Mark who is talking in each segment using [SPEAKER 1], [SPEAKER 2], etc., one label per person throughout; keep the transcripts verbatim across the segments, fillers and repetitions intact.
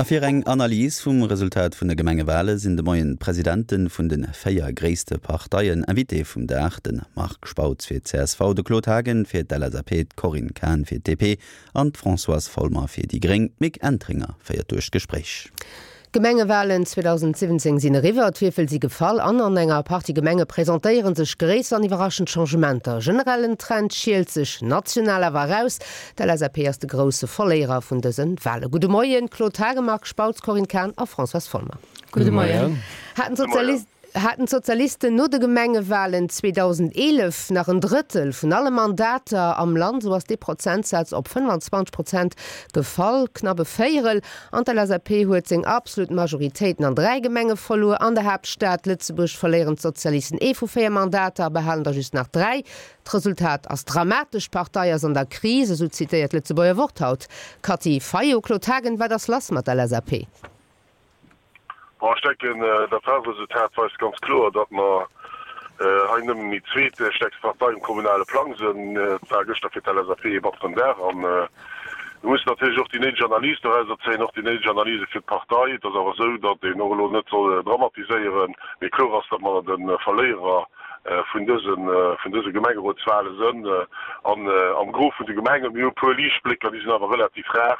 [SPEAKER 1] A fir eng Analys vum Resultat vun de Gemengewale sinn de Moien d'Presidente vun de véier gréisste Parteien Invité vum Dag, de Marc Spautz fir d'C S V, de Claude Haagen fir d'L S A P, d'Corinne Cahen fir d'D P an d'Françoise Folmer fir déi Gréng. D'Mick Entringer féiert duerch d'Gespréich.
[SPEAKER 2] D'Gemengewalen zweedausendsiwwenzéng sinn eriwwer, d'Wierfel si gefall an an enger Partie Gemenge presentéiere sech gréisser an iwwerraschend Changementer. Generellen Trend schielt sech national awer eraus. D'L S A P ass de grousse Verléierer vun dëse Wale. Gudde Moien, Claude Haagen, Marc Spautz, Corinne Cahen a Françoise Folmer.
[SPEAKER 3] Gudde Moien.
[SPEAKER 2] Haten d'Sozialist Haten d'Sozialisten no de Gemengewalen zweedausendeelef nach en Drëttel vun alle Mandater am Land, sou ass dee Prozentsaz op fënnfanzwanzeg Prozent gefall, knapp e Véierel. An d'L S A P huet seng absolut Majoritéiten an dräi Gemenge verluer. An der Haaptstad Lëtzebuerg verléieren d'Sozialisten ee vu véier Mandater a behalen der just nach dräi. D'Resultat ass dramatesch, d'Partei ass an der Kris, esou zitéiert d'Lëtzebuerger Wort haut d'Cathy Fayot. Claude Haagen, wat ass lass mat der L S A P?
[SPEAKER 4] Bon, ech denken, dat Walresultat weist ganz kloer, datt mer hei nëmmen déi zweetstäerkst Partei um kommunale Plang sinn. Et war gëschter fir d'L S A P ee batteren Dag an mir mussen natierlech och déi néideg Analys dorauser zéien, och déi néideg Analyse fir d'Partei. Et ass awer esou, datt een och elo net soll dramatiséieren, mee kloer ass, datt mer de Verléierer vun dëse vun dëse Gemengerotswale sinn an am Gros vun de Gemengen. Mir hu e puer Liichtblécker, déi sinn awer relativ rar.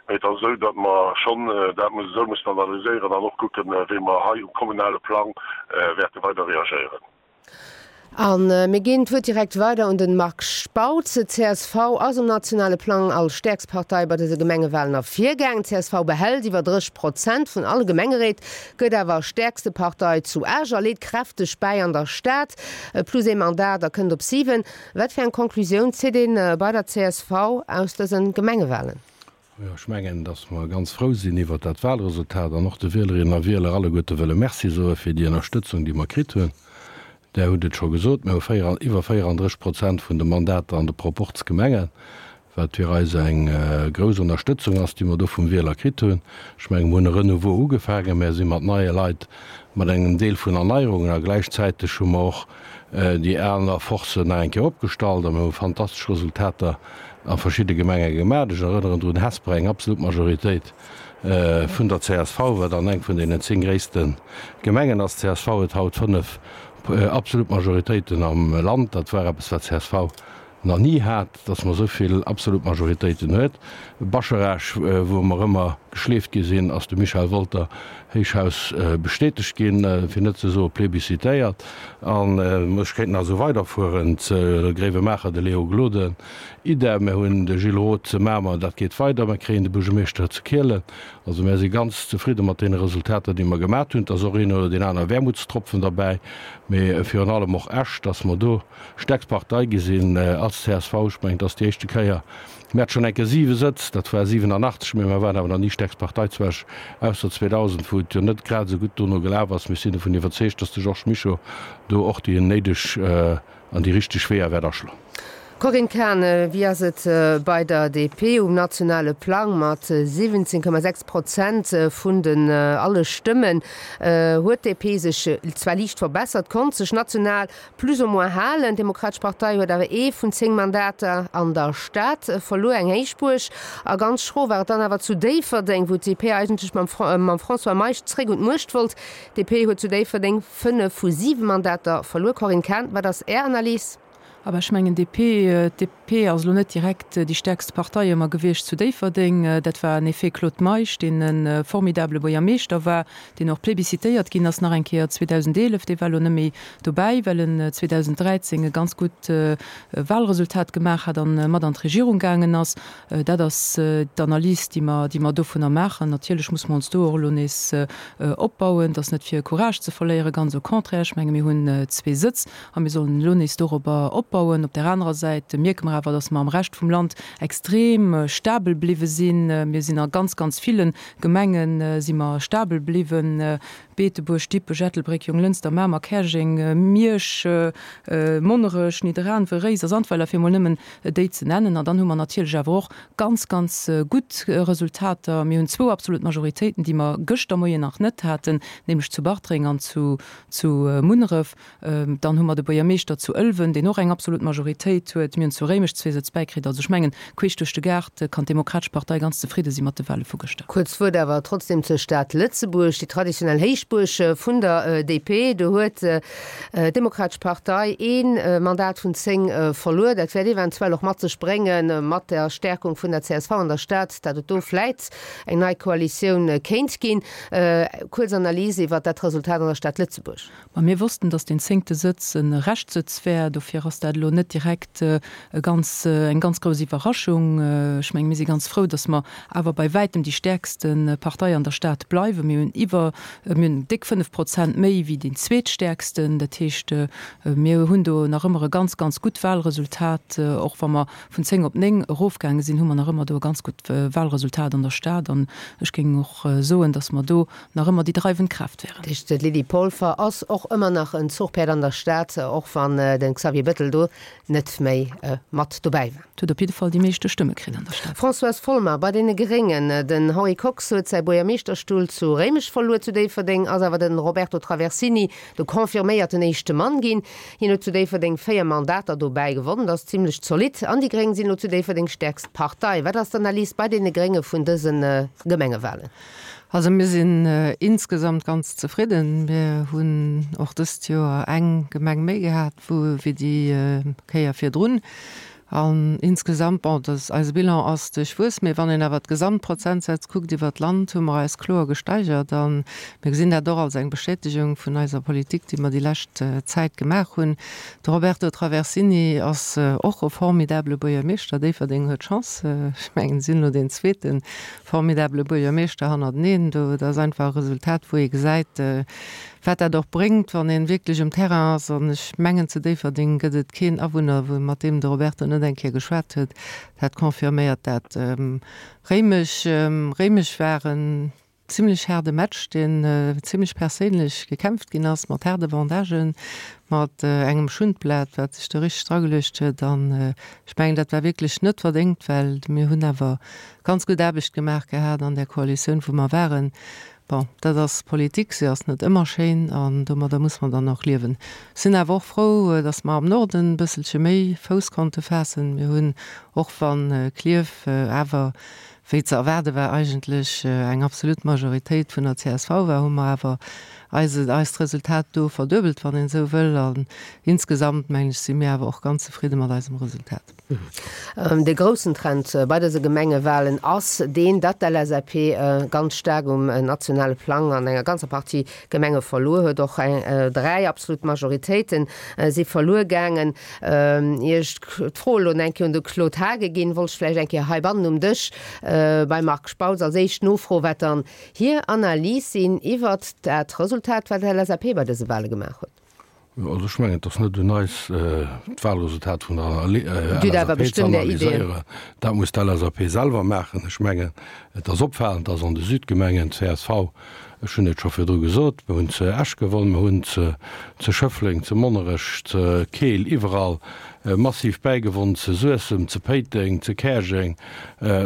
[SPEAKER 4] Mee et ass esou, datt mer schonn dat esou mussen analyséieren an och kucken, wéi mer hei um kommunale Plang wäerte weider reagéieren.
[SPEAKER 2] A mir ginn d'Wuert direkt weider un de Marc Spautz. D C S V ass um nationale Plang als stäerkst Partei bei dëse Gemengewalen ervirgaangen. D C S V behält iwwer dréisseg Prozent vun alle Gemengeréit, gëtt awer stäerkste Partei zu Esch a leet kräfteg bäi an der Stad. Plus ee Mandat a kënnt op siwen. Wat fir eng Conclusioun zitt ee bei der C S V aus dëse Gemengewalen?
[SPEAKER 5] Jo, ech mengen, datt mer ganz frou sinn iwwert dat Walresultat an och de Wielerinnen a Wieler alleguerte wëlle Merci soe fir déi Ënnerstëtzung, déi mer kritt hunn. Der hutt et scho gesot, mir hu véier, iwwer véierandréisseg Prozent vun de Mandater an de Proporzgemengen, wat fir eis eng grouss Ënnerstëtzung ass, déi mer do vum Wieler kritt hunn. Ech mengen, mir hunn e Renouveau ugefaangen, mir si mat neie Leit, mat engem Deel vun Erneierungen a gläichzäiteg hu mer och déi aner Forcen nach eng Kéier opgestallt a mir hu fantastesch Resultater a verschidde Gemenge gemaach. Ech erënneren drun, Hesper, eng absolut Majoritéit vun der C S V, wat dann eng vun deenen zéng gréisste Gemengen ass. D C S V huet haut fënnef absolut Majoritéiten am Land. Dat war eppes, wat D C S V nach ni hat, dass mer esou vill absolut Majoritéiten huet. Bascharage, wou mer ëmmer geschleeft gi sinn, ass de Michel Wolter Héichhaus bestätegt ginn, fir net ze soe plébiscitéiert. An ech kéint nach esou weiderfueren, zu Gréiwemaacher de Léo Gloden, idem, mir hunn de Gilles Roth zu Mamer, dat geet weider, mir kréien de Buergermeeschter zu Kielen. Also mir si ganz zefridde mat deene Resultater, déi mer gemaach hunn. Et ass och een oder deen aner Wermutstropfen derbäi, mee virun allem och Esch, dass mer do stäerkst Partei gi sinn als C S V. Ech mengen, et ass déi éischte Kéier, mir hate schonn eng Kéier siwe Sëtz, dat war siwenanachtzeg, mee mir waren awer nach ni stäerkst Partei zu Esch, ausser zweedausend, wou et jo net grad esou gutt dono gelaf ass. Mir sinn dovun iwwerzeegt, dass de Georges Mischo do och déi néideg an déi richteg Weeër wäert aschloen.
[SPEAKER 2] Corinne Cahen, wéi ass et bei der D P um nationale Plang mat siwwenzéng Komma sechs Prozent vun den alle Stëmmen? Huet d'D P sech zwar liicht verbessert, konnt sech national plus ou moins halen. D'Demokratesch Partei huet awer ee vun zéng Mandater an der Stad verluer, eng Héichbuerg. A ganz schro war et dann awer zu Déifferdeng, wou d'D P eigentlech mam François Meisch zréck un d'Muecht wollt. D P huet zu Déifferdeng fënnef vu siwe Mandater verluer. Corinne Cahen, wat ass Är Analys?
[SPEAKER 3] Awer ech mengen, D P, D P ass elo net direkt déi stäerkst Partei ëmmer gewiescht zu Déifferdeng. Dat war en effet Claude Meisch, deen e formidabele Buergermeeschter war, deen och plébiscitéiert ginn ass nach eng Kéier zweedausendeelef. Dee war elo net méi dobäi, well en zweedausenddräizéng e ganz gutt Wahlresultat gemaach hat an mat an d'Regierung gaangen ass. Dat ass d'Analys, déi mer, déi mer dovunner maachen. Natierlech muss mer ons do och elo nees opbauen. Et ass net fir Courage ze verléieren, ganz au contraire. Ech menge mir hunn zwee Sëtz a mir sollen elo nees dorobber opbauen. Op där anerer Säit mierke mer awer, dass mer am Rescht vum Land extrem stabel bliwwe sinn. Mir sinn a ganz, ganz ville Gemenge si mer stabel bliwwen, Beetebuerg, Dippech, Ettelbréck, Jonglënster, Mamer, Käerjeng, Miersch, Monnerech, Nidderaanwen, Réiser, Sandweiler, fir emol nëmmen déi ze nennen. An dann hu mer natierlech awer och ganz, ganz gutt Resultater. Mir hunn zwou absolut Majoritéiten, déi mer gëschter Moien nach net haten, nämlech zu Bartreng an zu zu Munneref. Dann hu mer de Buergermeeschter zu Ëlwen, deen och eng absolut absolut Majoritéit huet. Mir hunn zu Réimech zwee Sëtz bäikritt. Also ech mengen, queesch duerch de Gaart kann d'Demokratesch Partei ganz zefridde si mat de Wale vu gëschter.
[SPEAKER 2] Kuerz Wuert awer trotzdem zur Stad Lëtzebuerg, déi traditionell Héichbuerg vun der D P. Do huet d'Demokratesch Partei ee Mandat vun zéng verluer. Dat wäert eventuell och mat sech bréngen, mat der Stärkung vun der C S V an der Stad, datt et do vläit eng nei Koalitioun kéint ginn. Kuerz Analys iwwert dat Resultat an der Stad Lëtzebuerg.
[SPEAKER 3] Ma mir wossten, datt deen zéngte Sëtz e Reschtsëtz wär, dofir ass dat elo net direkt e ganz, eng ganz grouss Iwwerraschung. Ech mengen, mir si ganz frou, datt mer awer bei wäitem déi stäerkste Partei an der Stad bleiwen. Mir hunn iwwer, mir hunn déck fënnef Prozent méi wéi deen zweetstäerksten. Dat heescht, mir hunn do nach ëmmer e ganz, ganz gutt Wahlresultat. Och wa mer vun zéng op néng erofgaange sinn, hu mer nach ëmmer do e ganz gutt Wahlresultat an der Stad. An ech géing och soen, datt mer do nach ëmmer déi dreiwend Kraaft wären.
[SPEAKER 2] Dat heescht, d'Lydie Polfer ass och ëmmer nach en Zuchpäerd an der Stad, och wann de Xavier Bettel do net méi mat dobäi war.
[SPEAKER 3] Huet op jidde Fall déi meeschte Stëmme kritt an der Stad.
[SPEAKER 2] Françoise Folmer, Bei deene Gréngen, den Henri Kox huet säi Buergermeeschterstull zu Réimech verluer, zu Déifferdeng ass awer de Roberto Traversini de confirméierten éischte Mann ginn. Hien huet zu Déifferdeng véier Mandater dobäi gewonnen, dat ass zimlech zolidd. An déi Gréng sinn elo zu Déifferdeng stäerkst Partei. Wat ass d'Analys bei deene Grénge vun dëse Gemengewalen?
[SPEAKER 6] Also mir sinn insgesamt ganz zefridden. Mir hunn och dëst Joer eng Gemeng méi gehat wou wéi déi Kéier virdrun. An insgesamt, bon, dat eise Bilan ass duerchwuess, mee wann een awer d'Gesamtprozentsätz kuckt iwwer d'Land, hu mer eis kloer gesteigert. A mir gesinn dat och als eng Bestätegung vun eiser Politik, déi mer déi lescht Zäit gemaach hunn. De Roberto Traversini ass och e formidabele Buergermeeschter. Déifferdeng huet Chance, ech mengen, si hunn elo deen zweete formidabele Buergermeeschter hannerteneen. Do, dat ass einfach e Resultat, wou ee gesäit, wat dat och bréngt, wann een wierklech um Terrain ass. An ech mengen, zu Déifferdeng gëtt et keen Awunner, wou mat deem de Roberto net eng Kéier geschwat huet. Dat confirméiert dat. Réimech, Réimech war en zimlech haarde Match, deen zimlech perséinlech gekämpft ginn ass, mat haarde Vendagen, mat engem Schundblat, wat sech do richteg drageluecht huet. An ech mengen, dat war wierklech net verdéngt, well mir hunn awer ganz gutt Aarbecht gemaach gehat an där Koalitioun, wou mer waren. Bon, dat ass Politik, se ass net ëmmer schéin an domadder muss man dann och liewen. Sinn awer och frou, datt mer am Norden e bësselche méi Fouss konnte faassen. Mir hunn, och wann Klierf awer, wéi ze erwaarde war, eigentlech eng absolut Majoritéit vun der C S V war, hu mer awer eise eist Resultat do verduebelt, wann een esou wëll. An insgesamt, mengen ech, si mir awer och ganz zefridde mat eisem Resultat.
[SPEAKER 2] De groussen Trend bei dëse Gemengewalen ass deen, datt d'L S A P ganz staark um nationale Plang an enger ganzer Partie Gemenge verluer huet. Och dräi absolut Majoritéite si verluer gaangen. Ier ech d'Fro elo eng Kéier un de Claude Haagen ginn, wollt ech vläicht eng Kéier heibannen um Dësch beim Marc Spautz als éischt nofroen, wat dann hir Analys sinn iwwert dat Resultat, wat d'L S A P bei dëse Wale gemaach huet.
[SPEAKER 5] Also ech mengen, et ass net un eis, d'Wahlresultat vun der L S A P ze analyséieren. Dat muss d'L S A P selwer maachen. Ech mengen, et ass opfalend, dass an de Südgemengen d'C S V, ech hunn et scho virdru gesot, mir hunn zu Esch gewonn, mir hunn zu Schëffleng, zu Monnerech, zu Keel, iwwerall massiv bäigewonn, zu Suessem, zu Péiteng, zu Käerjeng,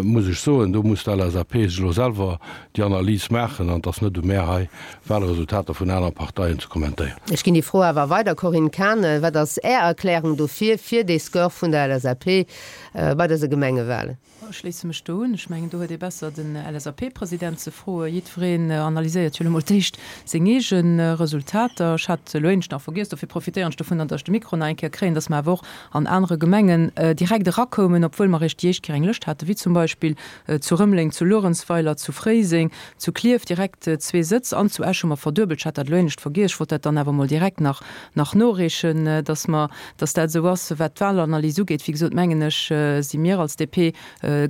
[SPEAKER 5] muss ech soen, do muss d'L S A P sech elo selwer déi Analys maachen an et ass net u mär hei, Wahlresultater vun aner Parteien ze kommentéieren.
[SPEAKER 2] Ech ginn déi Fro awer weider, Corinne Cahen, wat ass Är Erklärung dofir, fir dee Score vun der L S A P bei dëse Gemengewahlen?
[SPEAKER 3] Ech schléisse mech do un. Ech mengen, do huet ee besser den L S A P-President ze froen. Jiddwereen analyséiert jo elo mol d'éischt seng eege Resultater. Ech hat elo éinescht nach vergiess, dofir profitéieren ech dovun, datt ech de Mikro nach eng Kéier kréien, datt mer awer och an anere Gemengen direkt erakoumen, obwuel mer eréischt déi éischt Kéier eng Lëscht haten, wéi zum Beispill zu Rëmeleng, zu Luerenzweiler, zu Fréiseng, zu Klierf direkt zwee Sëtz an zu Esch hu mer verduebelt. Ech hat dat elo éinescht vergiess, ech wollt dat dann awer mol direkt nach nach noreechen, datt mer, datt dat esou ass. Wat d'Wahlanalyse ugeet, wéi gesot, mengen ech, si mir als D P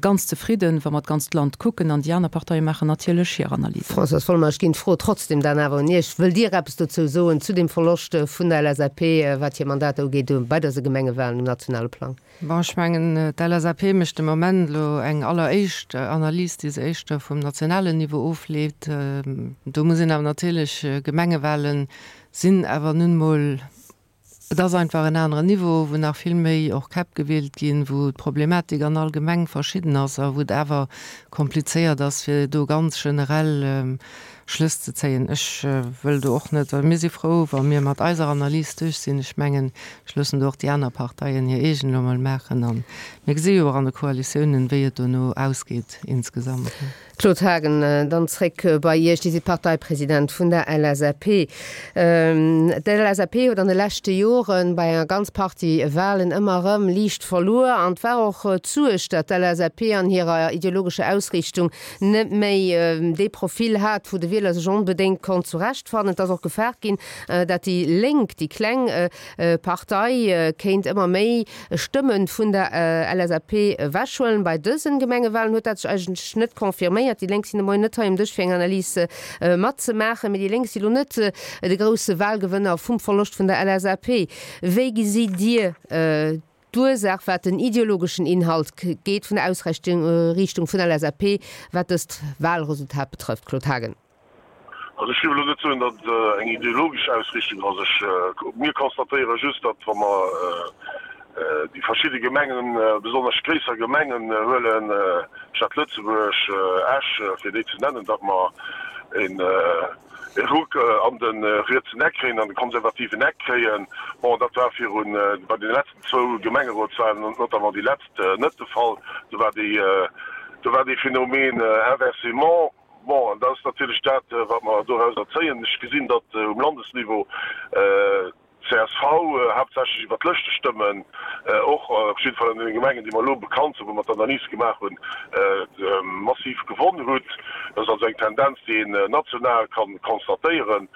[SPEAKER 3] ganz zefridden, wa mer d'ganzt Land kucken, an déi aner Parteie maachen natierlech hir Analysen.
[SPEAKER 2] Françoise Folmer, ech ginn d'Fro trotzdem dann awer un Iech. Wëllt Dir eppes dozou soen, zu dem Verloscht vun der L S A P, wat hir Mandater ugeet, bei dëse Gemengewahlen um nationale Plang?
[SPEAKER 6] Bon, ech mengen, d'L S A P mécht de Moment elo eng alleréischt Analys, déi se éischter vum nationalen Niveau ofleet. Do muss een awer natierlech, Gemengewahlen sinn awer nun mol, et ass einfach en aneren Niveau, wou nach vill méi och Käpp gewielt ginn, wou d'Problematik an all Gemeng verschidden ass a wou et awer komplizéiert ass, fir do ganz generell Schlëss ze zéien. Ech wëll do och net, mir si frou, wa mir mat eiser Analys duerch sinn. Ech mengen, ech loossen do och déi aner Parteien hir eegen elo mol maachen a mir gesi jo och an de Koalitiounen, wéi et dono ausgeet insgesamt.
[SPEAKER 2] Claude Haagen, dann zréck bei Iech. Dir sidd Parteipresident vun der LSAP. D'LSAP huet an de leschte Jore bei enger ganz Partie Wahlen ëmmer erëm liicht verluer an et war och d'Suerg, datt d'LSAP an hirer ideologescher Ausriichtung net méi dee Profil hat, wou de Wieler sech onbedéngt konnt zurechtfannen. Et ass och gefaart ginn, datt déi Lénk, déi kleng Partei, kéint ëmmer méi Stëmme vun der LSAP ewechhuelen. Bei dësen Gemengewahlen huet dat sech eigentlech net confirméiert. Déi Lénk sinn de Moien net hei um Dësch fir eng Analys matzemaachen, mee déi Lénk si lo net de grousse Wahlgewënner vum Verloscht vun der LSAP. Wéi gesitt Dir d'Ursaach, wat den ideologeschen Inhalt geet vun der Ausriichtung vun der LSAP, wat dëst Wahlresultat betrëfft? Claude Haagen.
[SPEAKER 4] Also ech géif elo net soen, datt et eng ideologesch Ausriichtung ass. Ech, mir constatéiere just, datt wa mer déi verschidde Gemengen, besonnesch gréisser Gemengen huelen, Stad Lëtzebuerg, Esch, fir déi ze nennen, datt mer een e Ruck an de rietsen Eck kréien, an de konservativen Eck kréien. Bon, dat war virun, bei deene letzten zwou Gemengerotswahlen, notamment déi letzt, net de Fall. Do war déi, do war dee Phänomen inversement. Bon, an dat ass natierlech dat, wat mer dorauser zéien. Ech gesinn, datt um Landesniveau d'CSV haaptsächlech iwwer d'Lëschtestëmmen, och op jidde Fall an deene Gemengen, déi mer elo bekannt sinn, wou mer d'Analys gemaach hunn, massiv gewonn hutt. Dat ass also eng Tendenz, déi een national ka constatéieren.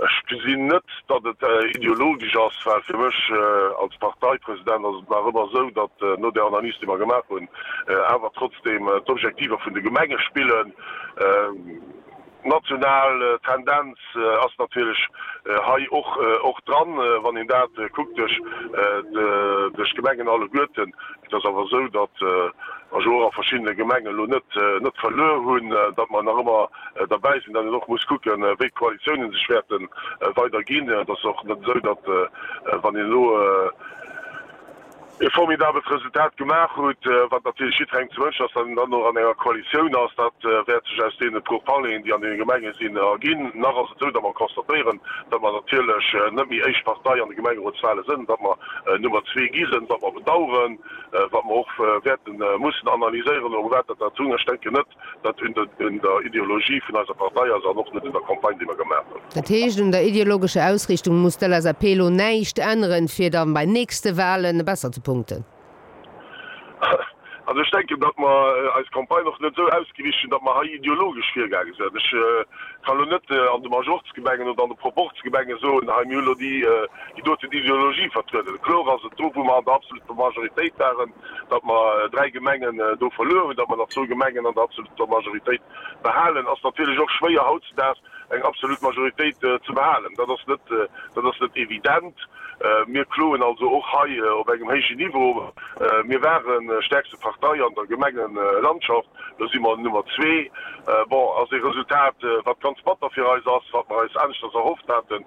[SPEAKER 4] Ech gesinn net, datt et ideologesch ass, well fir mech als Parteipresident ass et nach ëmmer esou, datt no där Analys, déi mer gemaach hunn, awer trotzdeem d'Objektiver vun de Gemenge spillen. D'national Tendenz ass natierlech hei och och dran, wann een dat kuckt duerch duerch d'Gemengen alleguerten. Et ass awer esou, datt mer jo och a verschiddene Gemengen elo net net verluer hunn, datt mer nach ëmmer derbäi sinn, datt een och muss kucken, wéi d'Koalitiounen sech wäerte weider ginn. Et ass och net esou, datt wann een elo e formidabelt Resultat gemaach hutt, wat natierlech jiddwerengem ze wënschen ass, datt een dann och an enger Koalitioun ass. Dat wäert sech aus deene Pourparleren, déi an deene Gemenge sinn, erginn. Nach ass et esou, datt mer constatéieren, datt mer natierlech net méi éischt Partei an de Gemengerotswale sënn, datt mer Nummer zwee gi sënn, wat mer bedauern, wat mer och wäerte mussen analyséieren, u wat dat dat hunn. Ech denken net, datt un der Ideologie vun eiser Partei ass an och net un der Campagne, déi mer gemaach hunn.
[SPEAKER 2] Dat heescht, un der ideologescher Ausriichtung muss d'LSAP elo näischt änneren, fir da bei nächste Wahlen besser ze punkten?
[SPEAKER 4] Also ech denken, datt mer eis Campagne och net esou ausgeriicht hunn, datt mer hei ideologesch virgaange sinn. Ech kann elo net an de Majorzgemengen oder an de Proporzgemenge soen, hei mir hu elo déi doten Ideologie vertrueden. Kloer ass et do, wou mer an der absoluter Majoritéit waren, datt mer dräi Gemengen do verluer hunn, datt mer nach zwou Gemengen an der absoluter Majoritéit behalen, ass natierlech och schwéier hautzedaags eng absolut Majoritéit ze behalen. Dat ass net, dat ass net evident. Mir kloen also och hei op engem héijen Niveau. Mir ware stäerkste Partei an der Gemengelandschaft, elo si mer Nummer zwee. Bon, ass ee Resultat, wat ganz batter fir eis ass, wat mer eis aneschters erhofft haten.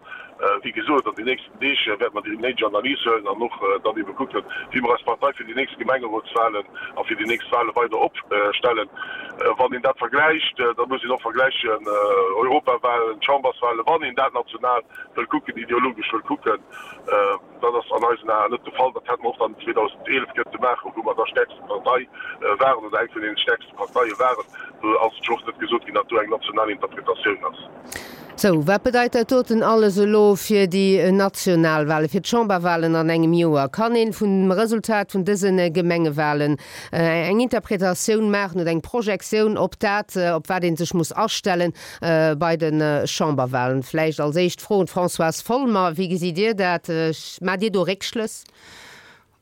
[SPEAKER 4] Wéi gesot, an den nächsten Deeg wäerte mer déi néideg Analys huelen an och dann ebe kucken, wéi mer eis Partei fir déi nächst Gemengerotswalen a fir déi nächst Wale weider opstellen. Wann een dat vergläicht, da muss een och vergläichen Europawalen, Chamberswalen, wann een dat national wëll kucken, ideologesch wëll kucken. Dat ass an eisen Aen net de Fall. Dat hätte mer och dann zweedausendeelef kënnte maachen, wou mer da stäerkste Partei waren oder eng vun deene stäerkste Parteie waren. Do ass et jo och net gesot ginn, datt do eng national Interpretatioun ass.
[SPEAKER 2] Sou, wat bedeit dat doten alles elo fir déi national Wahlen, fir d'Chamberwahlen an engem Joer? Kann een vum Resultat vun dëse Gemengewahlen eng Interpretatioun maachen oder eng Projektioun op dat, op wat ee sech muss astellen bei de Chamberwahlen? Vläicht als éischt Fro un d'Françoise Folmer, Wéi gesitt Dir dat? Maacht Dir do Réckschlëss?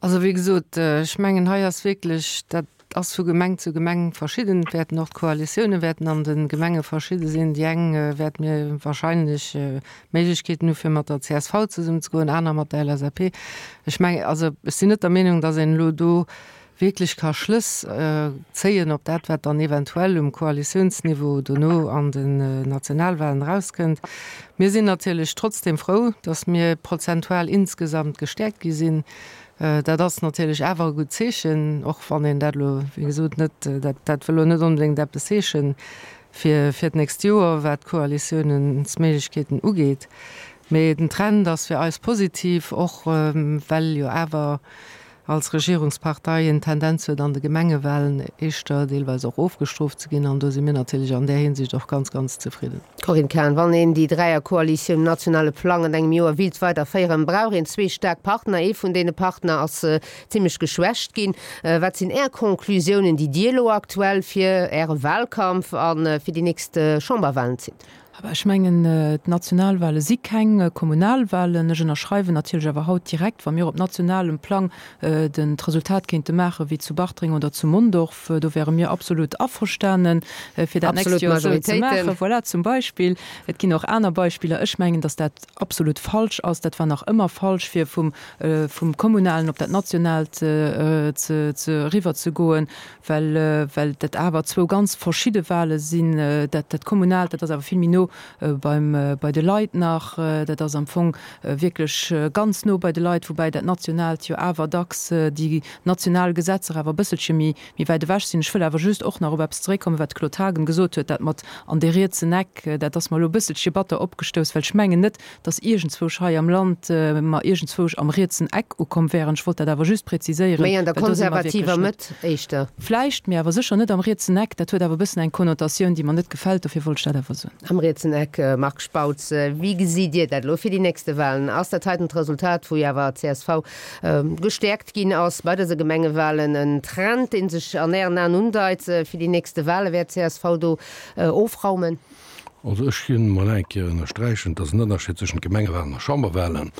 [SPEAKER 6] Also wéi gesot, ech mengen hei ass wierklech, dat ass vu Gemeng zu Gemeng verschidden. Et wäerten och d'Koalitioune wäerten an de Gemenge verschidde sinn. Déi eng wäerte mir wahrscheinlech Méiglechkeeten hu fir mat der csv zesummenzegoen, aner mat der LSAP. Ech mengen, also ech sinn net der Meenung, datt een elo do wierklech ka Schlëss zéien op dat, wat dann eventuell um Koalitiounsniveau dono an den Nationalwahlen erauskënnt. Mir sinn natierlech trotzdem frou, datt mir prozentual insgesamt gestäerkt gi sinn. Dat ass natierlech awer e gutt Zeechen, och wann een dat elo, wéi gesot, net, dat, dat wëll elo net onbedéngt eppes heeschen. fir fir d'nächst Joer, wat d'Koalitiounsméiglechkeeten ugeet. Mee den Trend ass fir eis positiv, och well jo awer als Regierungspartei een d'Tendenz huet, an de Gemengewahlen éischter deelweis och ofgestrooft ze ginn. An do si mir natierlech an där Hinsicht och ganz, ganz zefridden.
[SPEAKER 2] Corinne Cahen, Wann een déi Dräierkoalitioun um nationale Plang an engem Joer willt weiderféieren, brauch een zwee staark Partner. Ee vun deene Partner ass zimlech geschwächt ginn. Wat sinn Är Conclusiounen, déi Dir elo aktuell fir Äre Wahlkampf a fir déi nächst Chamberwahlen zitt?
[SPEAKER 3] Aber ech mengen, d'Nationalwahle si keng Kommunalwahlen. Ech ënnerschreiwen natierlech awer haut direkt, wa mir op nationalem Plang den d'Resultat kéinte maache wéi zu Bartreng oder zu Mondorf, do wäre mir absolut averstanen, fir dat nächst
[SPEAKER 2] Absolut
[SPEAKER 3] Joer esou ze
[SPEAKER 2] Majoritéiten.
[SPEAKER 3] maachen. Voilà, zum Beispill. Et ginn och aner Beispiller. Ech mengen, datt dat absolut falsch ass. Dat war nach ëmmer falsch, fir vum, vum Kommunalen op dat Nationaalt ze, ze eriwwerzegoen, well, well dat awer zwou ganz verschidde Wahle sinn. Dat, dat Kommunaalt, dat ass awer vill méi no beim, bei de Leit nach. Dat ass am Fong wierklech ganz no bei de Leit, woubäi dat Nationaalt jo awer dacks déi national Gesetzer awer e bësselche méi, méi wäit ewech sinn. Ech wëll awer just och nach op eppes zeréckkommen, wat de Claude Haagen gesot huet, dat mat an dee rietsen Eck, dat ass mer elo e bësselche batter opgestouss, well ech mengen net, dass iergendzwousch hei am Land mer iergendzwousch am rietsen Eck ukomm wären. Ech wollt dat awer just präziséieren,
[SPEAKER 2] Méi an der
[SPEAKER 3] well do si mer wierklech
[SPEAKER 2] konservativer
[SPEAKER 3] net.
[SPEAKER 2] Mëtt éischter.
[SPEAKER 3] Vläicht, mee awer sécher net am rietsen Eck. Dat huet awer e bëssen eng Konnotatioun, déi mer net gefält. Dofir wollt ech dat awer soen.
[SPEAKER 2] Am rietsen Eck, Marc Spautz, wéi gesitt Dir dat elo fir déi nächste Wahlen? Ass dat heiten d'Resultat, wou jo awer csv gestäerkt ginn ass bei dëse Gemengewahlen, en Trend, dee sech an Ären Aen undeit fir déi nächste Wahlen? Wäert csv do ofraumen?
[SPEAKER 5] Also ech ginn emol eng Kéier ënnersträichen, et ass en Ënnerscheed zwëschent Gemengewahlen a Chamberwahlen.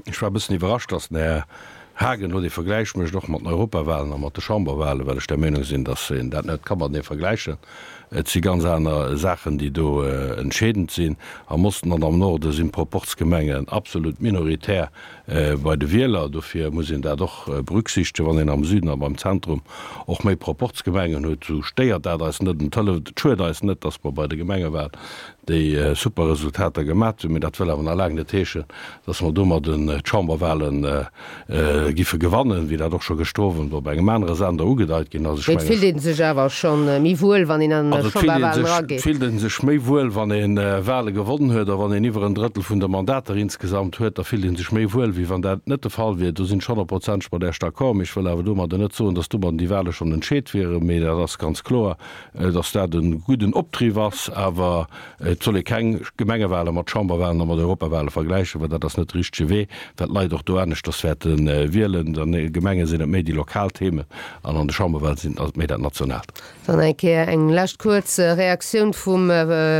[SPEAKER 5] Ech war e bëssen iwwerrascht, datt den Här Haagen elo dee Vergläich mécht, och mat den Europawahlen a mat de Chamberwahlen, well ech der Meenung sinn, datt een dat net ka matenee vergläichen. Et si ganz aner Saachen, déi do entscheedend sinn. Am Osten an am Norde sinn d'Proporzgemengen absolut minoritär bei de Wieler. Dofir muss een dat och berücksichtegen. Wann een am Süden a beim Zentrum och méi Proporzgemengen huet, esou stéiert dat eis net an et hëlleft, et schued eis net, datt mer bei de Gemengewahl déi super Resultater gemat hunn. Mee dat wëll awer nach laang net heeschen, datt mer domadden d'Chamberwahlen giffe gewannen, wéi dat och scho gëschter Owend op engem anere Sender ugedeit ginn ass. Ech
[SPEAKER 2] Mee et
[SPEAKER 5] mengen,
[SPEAKER 2] fillt ee sech awer scho méi wuel, wann een an
[SPEAKER 5] Also et fillt ee
[SPEAKER 2] Chamberwahlen
[SPEAKER 5] sech, et
[SPEAKER 2] erageet.
[SPEAKER 5] fillt ee sech méi wuel, wann ee Wahle gewonnen huet a wann een iwwer en Drëttel vun de Mandater insgesamt huet, da fillt ee sech méi wuel, wéi wann dat net de Fall wier. Do sinn ech honnertprozenteg mat Iech d'accord. Mee ech wëll awer domadder net soen, datt domadden déi Wahle schonn entscheet wieren. Mee dat ass ganz kloer, datt dat e gudden Optriff ass. Awer et soll ee keng Gemengewale mat Chamberwalen a mat Europawale vergläichen, well dat ass net de richtege Wee, well d'Leit och do aneschters wäerte wielen. An de Gemenge sinn et méi déi lokal Themen an an de Chamberwale sinn ass et méi dat Nationaalt.
[SPEAKER 2] Dann eng Kéier eng lescht kuerz Reaktioun vum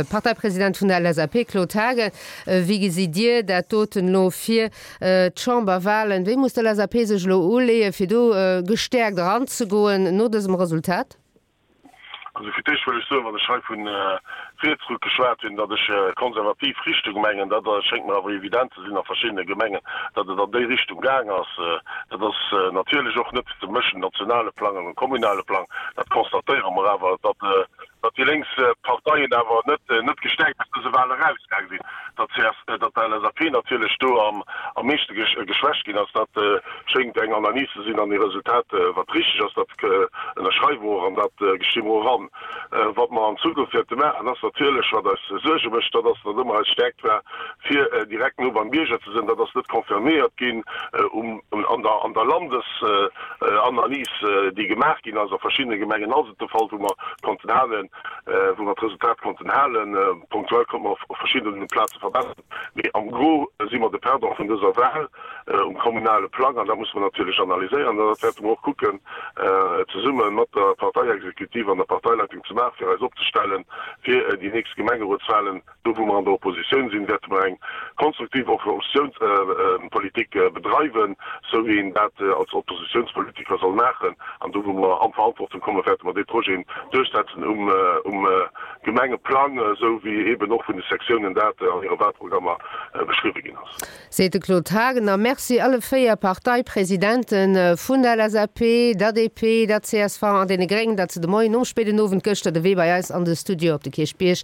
[SPEAKER 2] Parteipresident vun der L S A P, Claude Haagen. Wéi gesitt Dir dat doten elo fir d'Chamberwalen? Wéi muss d'L S A P sech elo uleeën, fir do gestäerkt eranzegoen no dësem Resultat?
[SPEAKER 4] Also fir d'éischt wëll ech soen, wann ech hei vu Rietsruck geschwat hunn, datt ech konservativ Richtung mengen. Dat schéngt mer awer evident ze sinn a verschiddene Gemengen, datt et an déi Richtung gaang ass. Dat ass natierlech och net ze mëschen, nationale Plang an kommunale Plang. Dat constatéiere mer awer, datt datt déi lénks Parteien awer net net gestäerkt aus dëse Wahle erausgaang sinn, datt d'C S, datt d'L S A P natierlech do am am meeschte geschwächt ginn ass. Dat schéngt eng Analys ze sinn an ee Resultat, wat richteg ass. Dat ënnerschreiwe mer och an dat gesti mer och an. Wat mer an Zukunft wäerte maachen, ass natierlech, wat eis Suerge mécht, dat ass, datt ëmmer eis Stäerkt war, fir direkt no beim Bierger ze sinn. Dat ass net confirméiert ginn an der an der Landesanalys, déi gemaach ginn ass. A verschiddene Gemengen ass et de Fall, wou mer konnten halen, wou mer d'Resultat konnten halen. Punktuell konnte mer op verschiddene Plaze verbessern, mee am Gros si mer de Perdant vun dëser Wahl um kommunale Plang an dat musse mer natierlech analyséieren an dat wäerte mer och kucken zesumme mat der Parteiexekutiv an der Parteileitung ze maachen, fir eis opzestellen fir déi nächst Gemengerotswahlen. Do wou mer an der Oppositioun sinn, wäerte mer eng konstruktiv Oppositiounspolitik bedreiwen, sou wéi een dat als Oppositiounspolitiker soll maachen. An do wou mer an d'Verantwortung kommen, wäerte mer déi Projeten duerchsetzen um Gemengeplang, sou wéi eeben och vun de Sektiounen dat an hire Wahlprogrammer beschriwwe ginn ass.
[SPEAKER 2] Seet de Claude Haagen. A Merci alle véier Parteipresidente vun der L S A P, der D P, der C S V an deene Gréngen, datt se de Moien nom spéiden Owend gëschter de Wee bei eis an de Studio op de Kierchbierg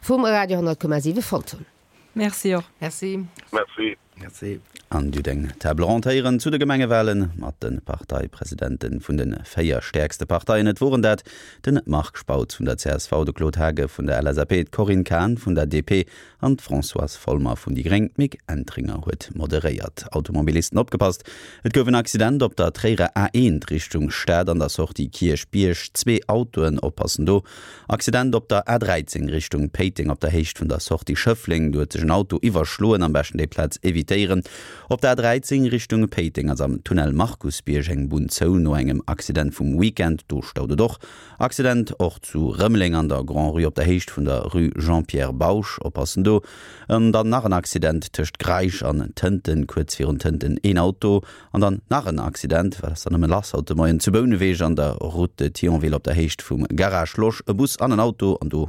[SPEAKER 2] vum Radio honnert Komma siwe fonnt hunn.
[SPEAKER 3] Merci och.
[SPEAKER 6] Merci.
[SPEAKER 4] Merci.
[SPEAKER 1] Merci. An Dir hutt eng Table ronde héieren zu de Gemengewale mat de Parteipresidente vun de véier stäerkste Parteien. Et woren dat de Marc Spautz vun der csv, de Claude Haagen vun der LSAP, d'Corinne Cahen vun der DP an d'Françoise Folmer vun déi gréng. D'Mick Entringer huet moderéiert. Automobilisten opgepasst, Et gouf en Accident op der Tréierer A eent Richtung Stad an der Sortie Kierchbierg. Zwee Autoen, oppassen do! Accident op der A dräizéng Richtung Péiteng op der Héicht vun der Sortie Schëffleng. Do huet sech en Auto iwwerschloen. Am beschten déi Plaz evitéieren. Op der A dräizéng Richtung Péiteng ass am Tunnel Markusbierg eng Bunn zou no engem Accident vum Weekend. Do staut et och. Accident och zu Rëmeleng an der Grand-Rue op der Héicht vun der Rue Jean-Pierre Bausch. Oppassen do. An dann nach en Accident tëscht Greisch an Tënten, kuerz virun Tënten een Auto. An dann nach en Accident, wat ass dann nëmme lass haut de Moien, zu Bouneweg an der Route de Thionville op der Héicht vum Garage Losch, e Bus an en Auto an do